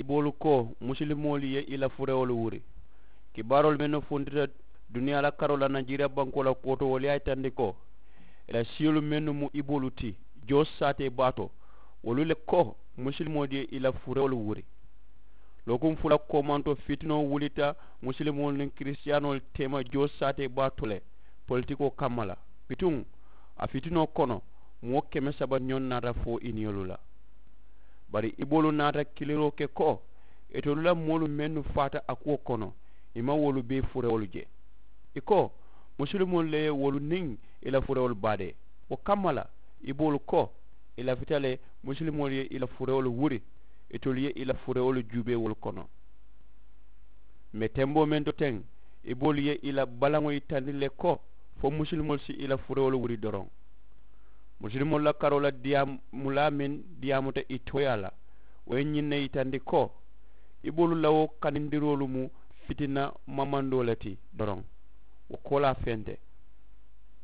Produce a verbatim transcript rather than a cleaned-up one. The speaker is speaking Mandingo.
Iboolu ko musilimoolu ye i la furewolu wuri. Kibaaroolu mennu funtita duniyaa la karoo la najeriya bankoo la kooto wolu ye a yitandi ko i la siyolu mennu mu iboolu ti joo saatee baa to wolu le ko musilimoolu ye i la furewolu wuri. Lookuŋ fula koomanto fitinoo wulita musilimoolu niŋ kirisitiyaanoolu teema joo saatee baa to le politikoo kamma la. Bituŋ a fitinoo kono moo keme saba ñoŋ naata fo i niyolu la. Bari iboolu naata kiliroo ke ko itolu la moolu mennu faata a kuwo kono i maŋ wolu bee furewolu je. I ko musilimoolu le ye wolu niŋ i la furewolu baadee. Wo kamma la iboolu ko i lafita le musilimoolu ye i la furewolu wuri itolu ye i la furewolu juubee wolu kono. M̀ be temboo meŋ to teŋ iboolu ye i la balaŋo yitandi le ko fo musilimoolu si i la furewolu wuri doroŋ. Musilimoolu la karoo la diyaamulaa meŋ diyaamuta i tooyaa la wo ye ñiŋ ne yitandi ko iboolu la wo kanindiroolu mu fitina mamandoo le ti doroŋ. Wo koolaa fente